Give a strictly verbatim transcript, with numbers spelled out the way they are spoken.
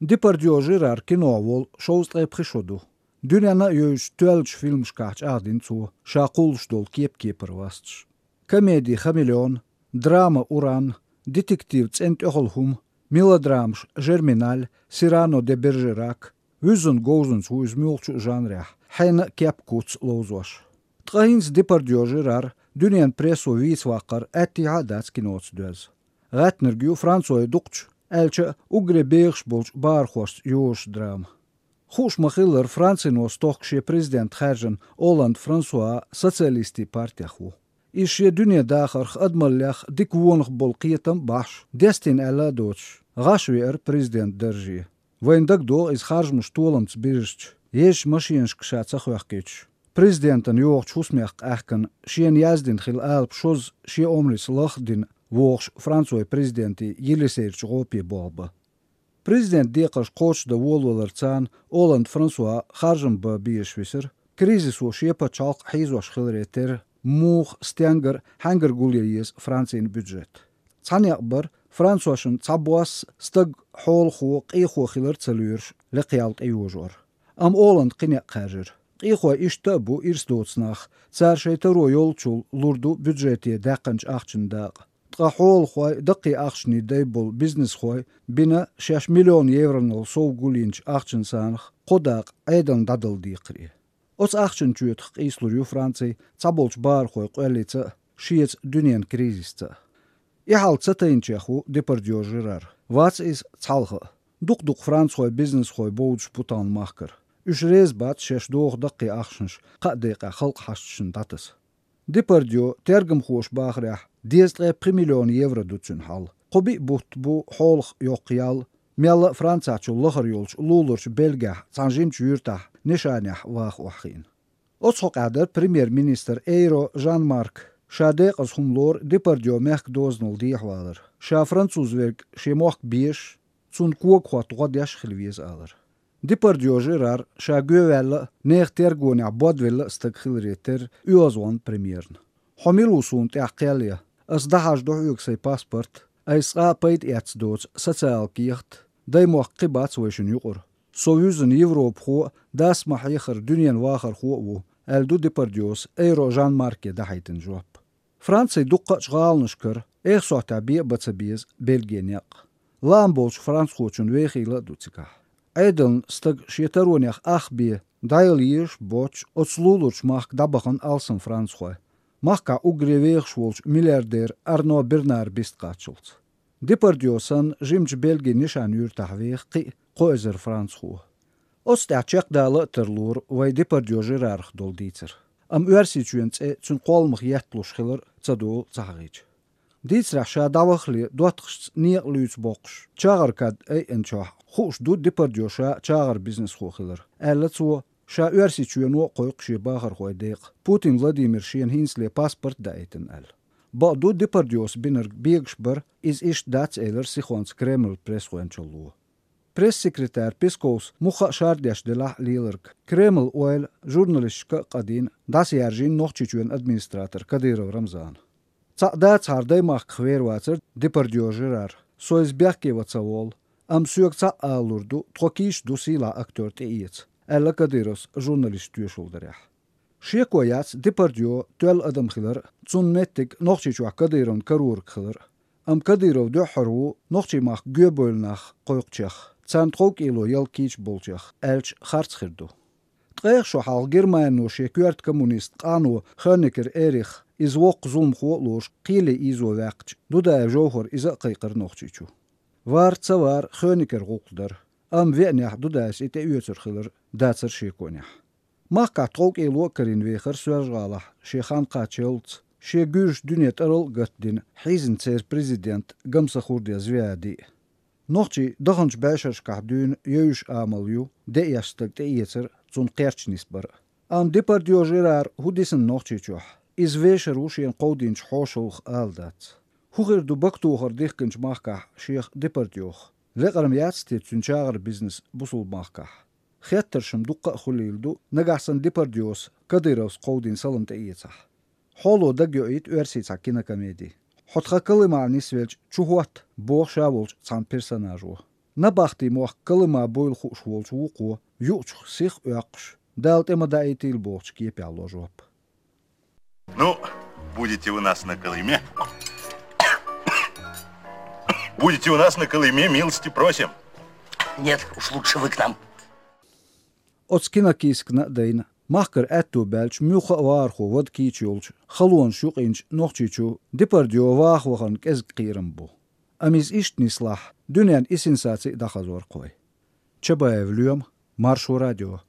Депардьё Жерар кино волу шовзткъе пхи шо ду. Дуьненна а йовзачу тоьллачу фильмашкахь чӀагӀдина цо, ша кхуллуш долу кеп-кепара васташ. Комеди «Хамелеон», драма «Уран», детектив «ЦӀена тӀехула хӀума», мелодрамаш «Жерминаль», «Сирано де Бержерак», вуьззина говзанца ву иза муьлххачу а жанрехь, хьенан а кеп-куц ловзош. Ткъа хӀинца Депардьё Жерар дуьненан прессо вийца ваккхар аьттехьа а дац киноца доьзна. ГӀаьттинарг ю Францойн дукхачу, аьлча а уггаре бехаш болчу бахархошца йозуш драма. Хууш ма-хиллара, Францино стохка шен президент хаьржина Олланд Франсуа социалистийн партех ву. Иза шен дуьненан дахарх, адамаллех дика вонах болу кхетам а бахьаш, дестийна аьлла а доцуш, гӀаш веара президентан дарже. Вайна дагадогӀу иза харжамаш толамца бирзича, езачу машенашка ша ца хоьхкуьйтуш, президентана йогӀучу хӀусамех къаьхкина, шена яздина хилла алапа шозза шен омрица лах а дина вогӀуш Францойн президентан Елисейрчу гӀопе болх бан. Президентан декхарш кхочушдан волаваларца Олланд Франсуа харжам бан безаш висира, кризисо шен пачхьалкх хьийзош хиларе терра, муха, стенгара, хьаьнгара гулъян еза Францин бюджет. Цхьа некъ бара, францошна цхьабосса стаг хьолахо, къехо хилар а ца лоьруш, лекха ял тӀейожор. Амма Олланда кхин некъ хаьржира. Къехой иштта а бу ирс доцу нах, цара шайн таро йолчул лур ду бюджете даьккхинчу ахчанан дакъа. Ткъа хьолахой, даккхий ахчанийн дай болу бизнесхой бина шаьш миллион евронал сов гулйинчу ахчанан санах кхо дакъа Ӏедална дӀадала декхаре. Оцу ахчанан чоьтах къийсалур ю Франци цхьаболчу бахархойн къоьллица а, шеца дуьненан кризисца а. И хьал ца тайначех ву Депардьё Жерар. Вац иза цхьалха а. Дукха-дукха францхой, бизнесхой бовдуш бу тахана махкара. Уьш реза бац шаьш доху даккхий ахчанаш кхаа декъехь халкъан хьашташна дӀатаса. Депардьё, тергамхоша бахарехь, дезткъе пхи миллион евро ду цуьнан хьал. Кхо-биъ бутт бу хьолах йоккха ял, мелла а Францехь лахара йолчу луларчу Бельгехь цхьана жимачу юьртахь нишанехь ваха охьахиъна. Оцу хьокъехь дара премьер-министр Эйро Жан-Марк. Ша декъаза хӀума лору Депардьё мехкан дозанал дехьавалар. Ша француз верг шен мохк безаш, цунна когахӀотта гӀо деш а хила веза алар. Депардьё Жерар ша гоьваьлла а, нехан тергонехь бодвелла а стаг хиларе терра оьгӀазвахна премьерна. Хьо мила ву суна тӀехь кхел ян? Ас дӀахьажадо хьоьга сайн паспорт, айса цкъа а пайда эцна доцу социал кехат, даймохк кхин бац вайшинна юкъара. Со вуьззина европахо а, дас ма-хьеххара дуьненан вахархо а ву, аьлла ду Депардьёс Эйро Жан-Марке дахьийтина жоп. Францин дуккха а гӀаланашкара, эх сохьтехь бен а бан ца беза Бельгин некъ. Лаам болчу францхочун вехийла а ду цигахь. Ӏедална стаг шен таронех ах бен, дӀаяла езаш а боцуш, оцу луларчу махка дӀабахана алсам францхой, махкахь уггаре вехаш волчу миллиардер Арно Бернар бист кхаччалц. Депардьё санна, жимачу Бельгин нишан юьртахь веха кхин а кхо эзар францхо. Оцу тӀехь чекхдала а тарлора вай Депардьё Жерарах долу дийцар. Амма Оьрсийчоьнан цӀе цуьнан кхолламах етталуш хилар ца долу ца хьахийча. Дийцарехь ша дӀавахале доттагӀашца некъа луьйца боккхуш, чагӀар кад айъначохь, хууш ду Депардьё ша чагӀар бизнесхо хилар, аьлла цо, ша Оьрсийчоьно а кхойкху шен бахархойн декъа, Путин Владимира шена хӀинцале паспорт а даийтина аьлла. Бакъду, Депардьёс бинарг бегаш бара, иза иштта дац, элира сихонца Кремлан пресс-гӀоьнчалло. Пресс-секретарь Песковс мухха а шардеш делахь а леларг, Кремлан ойла журналисташка а къадийна, дӀасаяьржийна Нохчийчоьнан администратор Кадыров Рамзана. Цхьаъ дацахьара даймахках вер вацара Депардьё Жерар, со иза бехке ван ца волу, амма соьга цхьаъ алалур ду, тхо кийча ду сийлахь актер тӀеэца, аьлла Кадыровс журналисташ тоьшалла дарехь. Шеко яц Депардьё тоьлла адам хилар а, цунна меттиг Нохчийчохь Кадыровна карораг хилар а. Амма Кадыров дуьххьара ву нохчийн махка гоьбевлла нах кхойкхучех, царна тховкӀело ял кийча болчех, аьлча харц хир ду. Ткъех шо хьалха Германино шен коьрта коммунист къано Хонекер Эрих, иза воккха зуламхо а лоруш, кхеле ийзо ваьккхича, Дудаев Жовхара иза а кхайкхара Нохчийчу. Вар ца вар, Хонекер гӀуллакх дара, амма веанехь Дудаевс и тӀеоьцур хилар дацара шеконехь. Махкахь тховкӀело а карийна вехара Соьлжа-ГӀалахь, шен хан кхаччалц, шен гуьржаш дуьне тӀарал а гатдина, хьийзина церан президент Гамсахурдиев Звиади. Нохчий даханчу бӀешерашкахь дуьйна евзаш амал ю деэш стаг тӀеэцар а, цунна кхерч нисбар а. Амма Депардьё Жерар хӀун дисина Нохчийчохь, иза вешар ву шена кховдийначу хьошалгах ала дац. ХӀун хир ду бакатохар дихкинчу махкахь шех Депардьёх? Лекъар-м яц те цуьнан чагӀар бизнес бусулба махкахь? Хеттарш-м дуккха а хуьлийла ду, нагахь санна Депардьёс Кадыровс кховдийна салам тӀеэцахь. Хьоло дагайоуьйту оьрсийн цхьа кинокомеди. «Хьо тхан Колымахь нисвелча чу хӀотта», боху ша волчу цхьана персонажо. Набахти мохк Колыма буйла хууш волчу вукхо, юучух сих оьккхуш, Дала тӀе ма даийтийла бохучу кепехь ло жоп. Ну, будете у нас на Колыме. Будете у нас на Колыме, милости просим. Нет, уж лучше вы к нам. Оцу кинокискна а дайна, махкара аьтто баьлча муьлхха а вахархо вада кийча йолчу, халонаш юкъинчу Нохчийчу Депардьё ваха вахарна кӀезиг кхерам бу. Амма иза иштта нислахь, дуьненна и сенсаци а дӀахазор кхой. Чабаев Лоьма, Маршо радио.